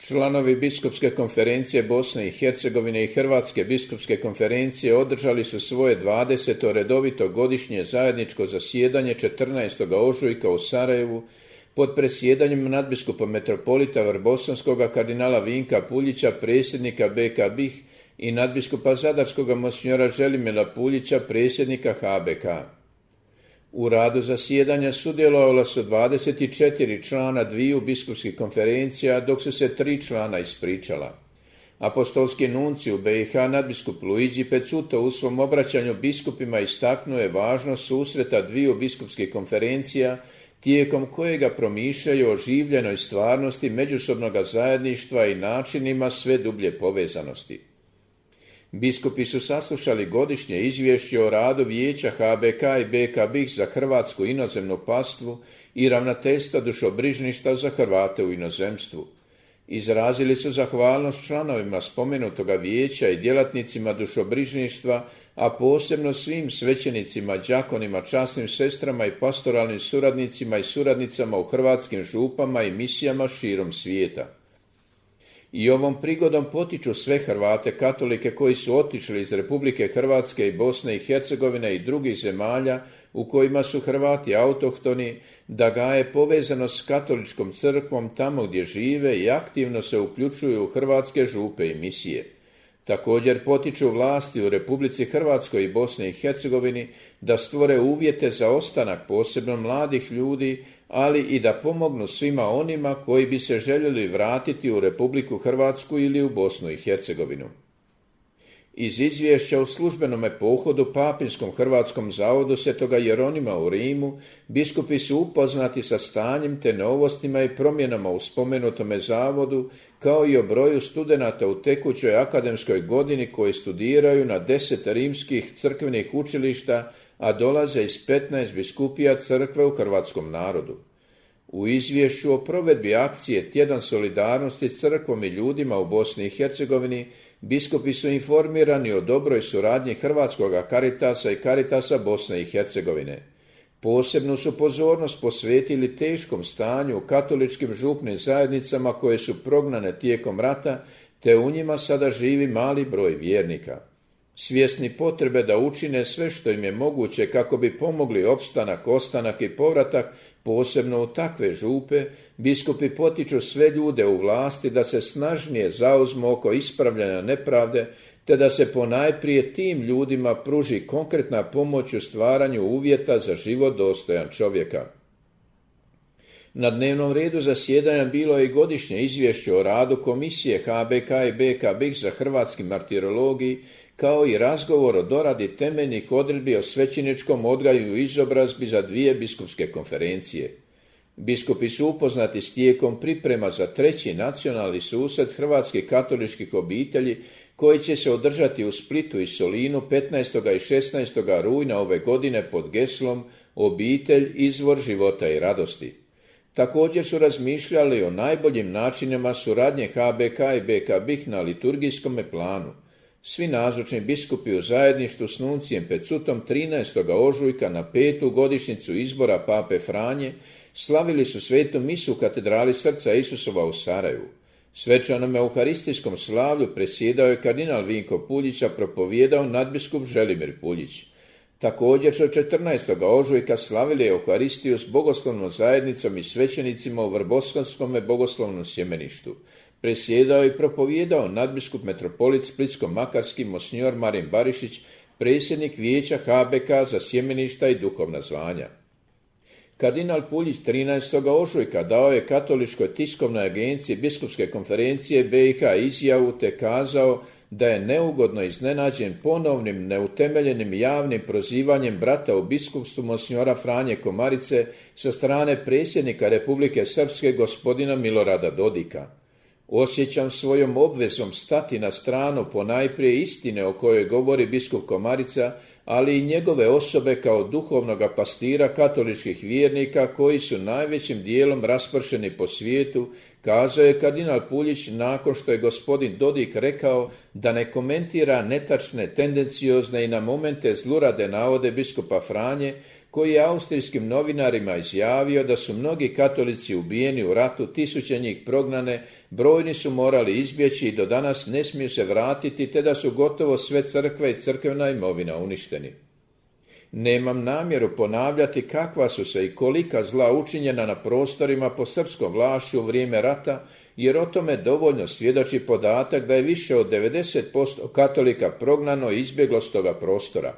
Članovi Biskupske konferencije Bosne i Hercegovine i Hrvatske biskupske konferencije održali su svoje 20. redovito godišnje zajedničko zasjedanje 14. ožujka u Sarajevu pod presjedanjem nadbiskupa metropolita Vrbosanskoga kardinala Vinka Puljića, predsjednika BK BiH, i nadbiskupa Zadarskoga monsinjora Želimira Puljića, predsjednika HBK. U radu zasjedanja sudjelovala su 24 člana dviju biskupskih konferencija, dok su se 3 člana ispričala. Apostolski nuncij u BiH nadbiskup Luigi Pezzuto u svom obraćanju biskupima istaknuo je važnost susreta dviju biskupskih konferencija, tijekom kojega promišljaju o življenoj stvarnosti međusobnog zajedništva i načinima sve dublje povezanosti. Biskupi su saslušali godišnje izvješće o radu Vijeća HBK i BK BiH za hrvatsku inozemnu pastvu i ravnateljstva dušobrižništva za Hrvate u inozemstvu. Izrazili su zahvalnost članovima spomenutoga vijeća i djelatnicima dušobrižništva, a posebno svim svećenicima, đakonima, časnim sestrama i pastoralnim suradnicima i suradnicama u hrvatskim župama i misijama širom svijeta. I ovom prigodom potiču sve Hrvate katolike koji su otišli iz Republike Hrvatske i Bosne i Hercegovine i drugih zemalja u kojima su Hrvati autohtoni, da gaje povezanost s katoličkom crkvom tamo gdje žive i aktivno se uključuju u hrvatske župe i misije. Također potiču vlasti u Republici Hrvatskoj i Bosni i Hercegovini da stvore uvjete za ostanak posebno mladih ljudi, ali i da pomognu svima onima koji bi se željeli vratiti u Republiku Hrvatsku ili u Bosnu i Hercegovinu. Iz izvješća o službenome pohodu Papinskom Hrvatskom zavodu Svetoga Jeronima u Rimu, biskupi su upoznati sa stanjem te novostima i promjenama u spomenutome zavodu, kao i o broju studenata u tekućoj akademskoj godini koji studiraju na 10 rimskih crkvenih učilišta, a dolaze iz 15 biskupija crkve u hrvatskom narodu. U izvješću o provedbi akcije Tjedan solidarnosti s crkvom i ljudima u Bosni i Hercegovini, biskupi su informirani o dobroj suradnji Hrvatskoga Caritasa i Caritasa Bosne i Hercegovine. Posebnu su pozornost posvetili teškom stanju u katoličkim župnim zajednicama koje su prognane tijekom rata, te u njima sada živi mali broj vjernika. Svjesni potrebe da učine sve što im je moguće kako bi pomogli opstanak, ostanak i povratak, posebno u takve župe, biskupi potiču sve ljude u vlasti da se snažnije zauzmu oko ispravljanja nepravde, te da se ponajprije tim ljudima pruži konkretna pomoć u stvaranju uvjeta za život dostojan čovjeka. Na dnevnom redu zasjedanja bilo je i godišnje izvješće o radu Komisije HBK i BK BiH za hrvatski martirologiji, kao i razgovor o doradi temeljnih odredbi o svećeničkom odgoju i izobrazbi za dvije biskupske konferencije. Biskupi su upoznati s tijekom priprema za 3. nacionalni susret hrvatskih katoličkih obitelji koji će se održati u Splitu i Solinu 15. i 16. rujna ove godine pod geslom Obitelj, izvor života i radosti. Također su razmišljali o najboljim načinima suradnje HBK i BK BiH na liturgijskom planu. Svi nazočni biskupi u zajedništvu s nuncijem Pezzutom 13. ožujka na 5. godišnjicu izbora Pape Franje slavili su svetu misu u katedrali Srca Isusova u Sarajevu. Svečanom euharistijskom slavlju presjedao je kardinal Vinko Puljić, a propovijedao nadbiskup Želimir Puljić. Također su 14. ožujka slavili euharistiju s bogoslovnom zajednicom i svećenicima u Vrbosanskom bogoslovnom sjemeništu. Presjedao i propovijedao nadbiskup metropolit Splitsko-makarski monsinjor Marin Barišić, predsjednik vijeća HBK za sjemeništa i duhovna zvanja. Kardinal Puljić 13. ožujka dao je Katoličkoj tiskovnoj agenciji Biskupske konferencije BiH izjavu te kazao da je neugodno iznenađen ponovnim neutemeljenim javnim prozivanjem brata u biskupstvu monsinjora Franje Komarice sa strane predsjednika Republike Srpske gospodina Milorada Dodika. Osjećam svojom obvezom stati na stranu ponajprije istine o kojoj govori biskup Komarica, ali i njegove osobe kao duhovnoga pastira katoličkih vjernika koji su najvećim dijelom raspršeni po svijetu, kazao je kardinal Puljić nakon što je gospodin Dodik rekao da ne komentira netačne, tendenciozne i na momente zlurade navode biskupa Franje koji je austrijskim novinarima izjavio da su mnogi katolici ubijeni u ratu, tisuće njih prognane, brojni su morali izbjeći i do danas ne smiju se vratiti, te da su gotovo sve crkve i crkvena imovina uništeni. Nemam namjeru ponavljati kakva su se i kolika zla učinjena na prostorima pod srpskom vlašću u vrijeme rata, jer o tome dovoljno svjedoči podatak da je više od 90% katolika prognano i izbjeglo s toga prostora.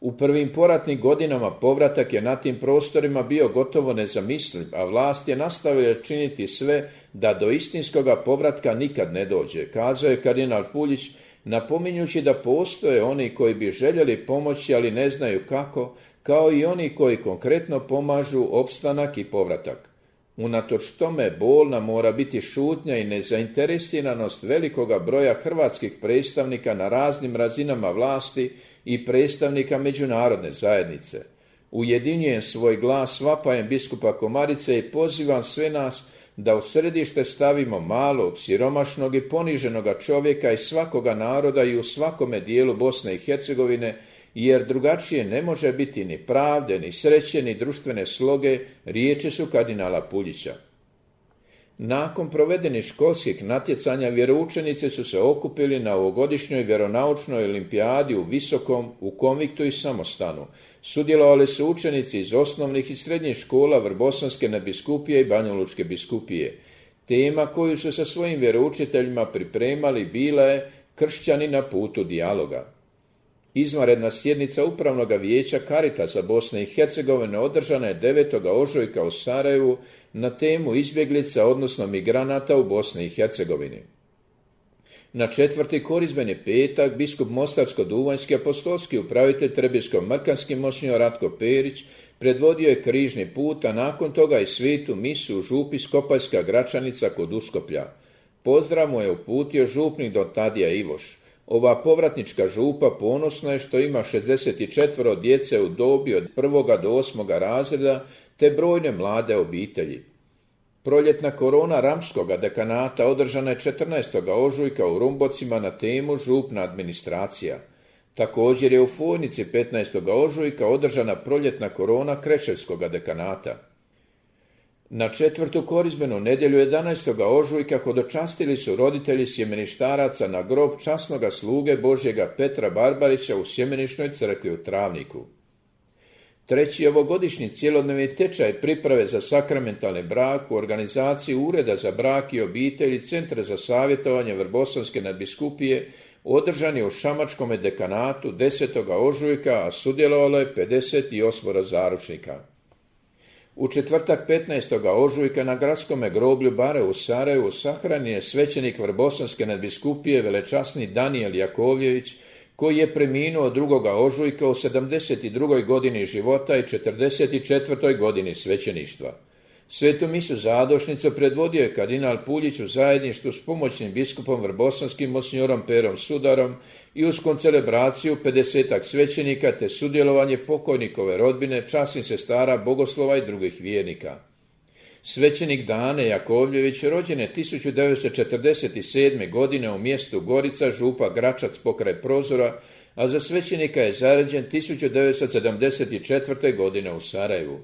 U prvim poratnim godinama povratak je na tim prostorima bio gotovo nezamisliv, a vlast je nastavila činiti sve da do istinskoga povratka nikad ne dođe, kazao je kardinal Puljić, napominjući da postoje oni koji bi željeli pomoći, ali ne znaju kako, kao i oni koji konkretno pomažu opstanak i povratak. Unatoč tome bolna mora biti šutnja i nezainteresiranost velikoga broja hrvatskih predstavnika na raznim razinama vlasti i predstavnika međunarodne zajednice. Ujedinjujem svoj glas vapajem biskupa Komarice i pozivam sve nas da u središte stavimo malog, siromašnog i poniženoga čovjeka iz svakoga naroda i u svakome dijelu Bosne i Hercegovine, jer drugačije ne može biti ni pravde, ni sreće, ni društvene sloge, riječi su kardinala Puljića. Nakon provedenih školskih natjecanja vjeroučenici su se okupili na ovogodišnjoj vjeronaučnoj olimpijadi u Visokom, u Konviktu i Samostanu. Sudjelovali su učenici iz osnovnih i srednjih škola Vrbosanske nadbiskupije i Banjalučke biskupije. Tema koju su sa svojim vjeroučiteljima pripremali bila je Kršćani na putu dijaloga. Izvanredna sjednica Upravnog vijeća Caritasa Bosne i Hercegovine održana je 9. ožujka u Sarajevu na temu izbjeglica, odnosno migranata u Bosni i Hercegovini. Na 4. korizmeni petak biskup Mostarsko-duvanjski apostolski upravitelj Trebinsko-mrkanski monsignor Ratko Perić predvodio je križni put, a nakon toga i svetu misu u župi Skopaljska Gračanica kod Uskoplja. Pozdrav mu je uputio župnik don Tadija Ivoš. Ova povratnička župa ponosna je što ima 64 djece u dobi od 1. do 8. razreda te brojne mlade obitelji. Proljetna korona Ramskoga dekanata održana je 14. ožujka u Rumbocima na temu župna administracija. Također je u Fojnici 15. ožujka održana proljetna korona Kreševskoga dekanata. Na 4. korizmenu nedjelju 11. ožujka hodočastili su roditelji sjemeništaraca na grob časnoga sluge Božjega Petra Barbarića u Sjemenišnoj crkvi u Travniku. 3. ovogodišnji cjelodnevni tečaj priprave za sakramentalni brak u organizaciji Ureda za brak i obitelj i Centra za savjetovanje Vrbosanske nadbiskupije održan je u Šamačkome dekanatu 10. ožujka, a sudjelovalo je 58 zaručnika. U četvrtak 15. ožujka na gradskome groblju Bare u Sarajevu sahranjen je svećenik Vrbosanske nadbiskupije velečasni Danijel Jakovljević, koji je preminuo 2. ožujka u 72. godini života i 44. godini svećeništva. Svetu misu zadošnicu predvodio je kardinal Puljić u zajedništvu s pomoćnim biskupom vrbosanskim monsignorom Perom Sudarom i uz koncelebraciju 50 svećenika te sudjelovanje pokojnikove rodbine, časnih sestara, bogoslova i drugih vjernika. Svećenik Dane Jakovljević rođen je 1947. godine u mjestu Gorica, župa Gračac pokraj Prozora, a za svećenika je zaređen 1974. godine u Sarajevu.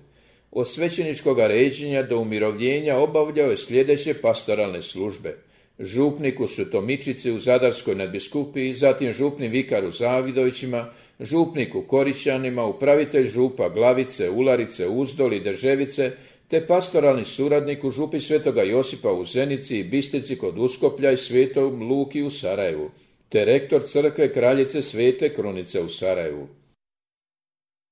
Od svećeničkog ređenja do umirovljenja obavljao je sljedeće pastoralne službe: župnik u Sutomičici u Zadarskoj nadbiskupiji, zatim župni vikar u Zavidovićima, župnik u Korićanima, upravitelj župa Glavice, Ularice, Uzdol i Deževice, te pastoralni suradnik u župi Svetoga Josipa u Zenici i Bistrici kod Uskoplja i Svetom Luki u Sarajevu, te rektor crkve Kraljice Svete Krunice u Sarajevu.